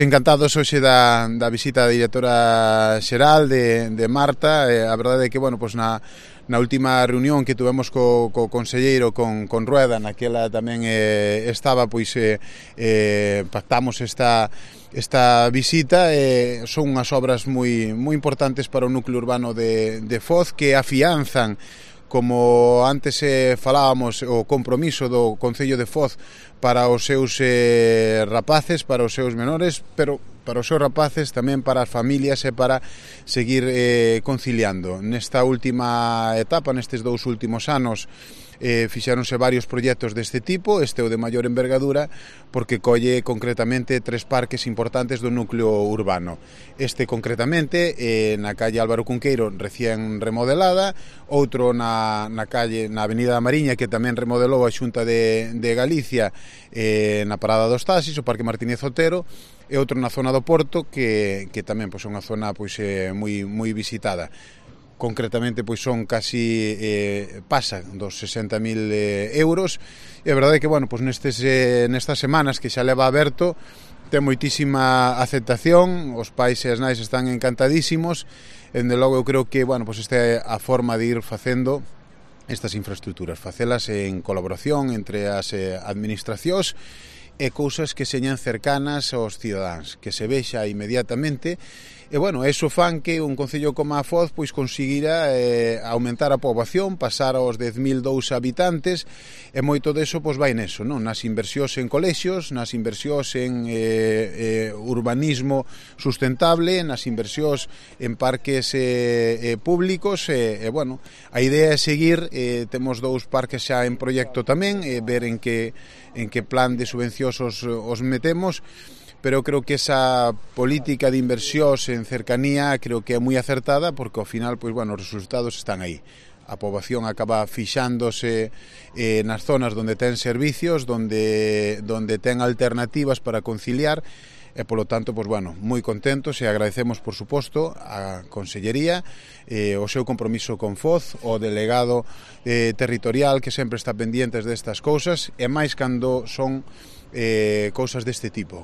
Encantados hoxe da visita da directora xeral de Marta. A verdade é que, bueno, pois na última reunión que tivemos co conselleiro, con Rueda, naquela tamén estaba, pois pactamos esta visita. Son unhas obras moi importantes para o núcleo urbano de Foz, que afianzan, como antes falábamos, o compromiso do Concello de Foz para os seus rapaces, para os seus menores, pero para os seus rapaces, tamén para as familias e para seguir conciliando. Nesta última etapa, nestes 2 últimos anos, fixeronse varios proxectos deste tipo. Este é o de maior envergadura, porque colle concretamente 3 parques importantes do núcleo urbano. Este concretamente na calle Álvaro Cunqueiro, recén remodelada, outro na avenida da Mariña, que tamén remodelou a Xunta de Galicia, na parada dos taxis, o Parque Martínez Otero, e outro na zona do Porto, que tamén é unha zona moi visitada. Concretamente, pois son casi pasa dos 60.000 euros, e a verdade é que, bueno, pois nestas semanas que xa leva aberto, ten moitísima aceptación, os pais e as nais están encantadísimos. Dende logo eu creo que, bueno, pois esta é a forma de ir facendo estas infraestructuras, facelas en colaboración entre as administracións, e cousas que señan cercanas aos cidadáns, que se vexa inmediatamente. E, bueno, eso fan que un concello como a Foz pois conseguira aumentar a poboación, pasar aos 10.002 habitantes, e moito deso pois vai neso, non? Nas inversións en colexios, nas inversións en urbanismo sustentable, nas inversións en parques públicos, e, bueno, a idea é seguir. Temos 2 parques xa en proxecto tamén, ver en que plan de subvencións os metemos, pero creo que esa política de inversións en cercanía creo que é moi acertada, porque ao final, pois, bueno, os resultados están aí. A poboación acaba fixándose nas zonas onde ten servicios, onde ten alternativas para conciliar, e polo tanto, pois, bueno, moi contentos, e agradecemos, por suposto, a Consellería o seu compromiso con Foz, o delegado territorial, que sempre está pendientes destas cousas, e máis cando son cousas deste tipo.